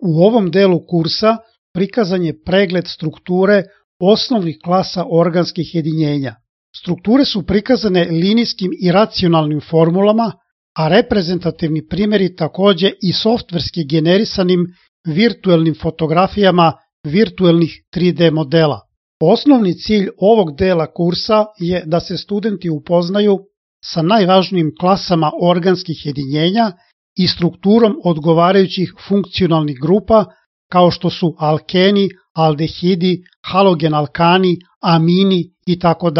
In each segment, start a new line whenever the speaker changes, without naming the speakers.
U ovom delu kursa prikazan je pregled strukture osnovnih klasa organskih jedinjenja. Strukture su prikazane linijskim i racionalnim formulama, a reprezentativni primjeri takođe i softverski generisanim virtuelnim fotografijama virtuelnih 3D modela. Osnovni cilj ovog dela kursa je da se studenti upoznaju sa najvažnijim klasama organskih jedinjenja i strukturom odgovarajućih funkcionalnih grupa kao što su alkeni, aldehidi, halogen alkani, amini itd.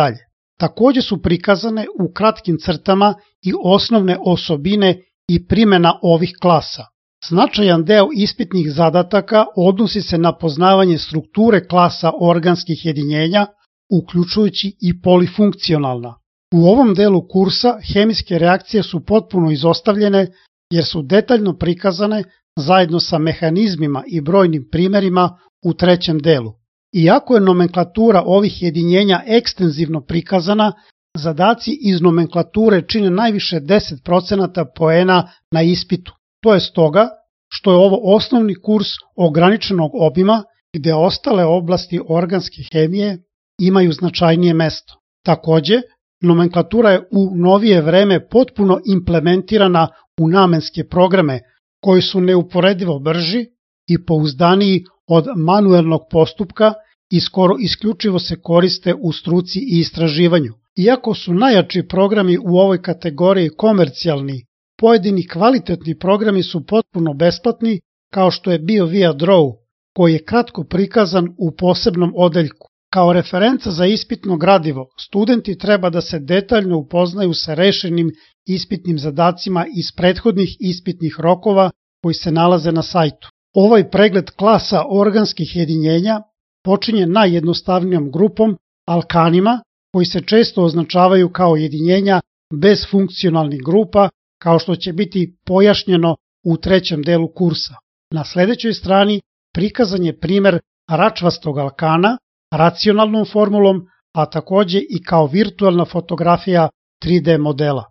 Takođe su prikazane u kratkim crtama i osnovne osobine i primjena ovih klasa. Značajan deo ispitnih zadataka odnosi se na poznavanje strukture klasa organskih jedinjenja, uključujući i polifunkcionalna. U ovom delu kursa hemijske reakcije su potpuno izostavljene jer su detaljno prikazane zajedno sa mehanizmima i brojnim primjerima u trećem delu. Iako je nomenklatura ovih jedinjenja ekstenzivno prikazana, zadaci iz nomenklature čine najviše 10% poena na ispitu. To je stoga što je ovo osnovni kurs ograničenog obima gde ostale oblasti organske hemije imaju značajnije mesto. Takođe, nomenklatura je u novije vreme potpuno implementirana u namenske programe koji su neuporedivo brži i pouzdaniji od manuelnog postupka i skoro isključivo se koriste u struci i istraživanju. Iako su najjači programi u ovoj kategoriji komercijalni, pojedini kvalitetni programi su potpuno besplatni, kao što je bio ViaDraw, koji je kratko prikazan u posebnom odeljku. Kao referenca za ispitno gradivo, studenti treba da se detaljno upoznaju sa rešenim ispitnim zadacima iz prethodnih ispitnih rokova koji se nalaze na sajtu. Ovaj pregled klasa organskih jedinjenja počinje najjednostavnijom grupom, alkanima, koji se često označavaju kao jedinjenja bez funkcionalnih grupa, kao što će biti pojašnjeno u trećem delu kursa. Na sledećoj strani prikazan je primer račvastog alkana racionalnom formulom, a takođe i kao virtuelna fotografija 3D modela.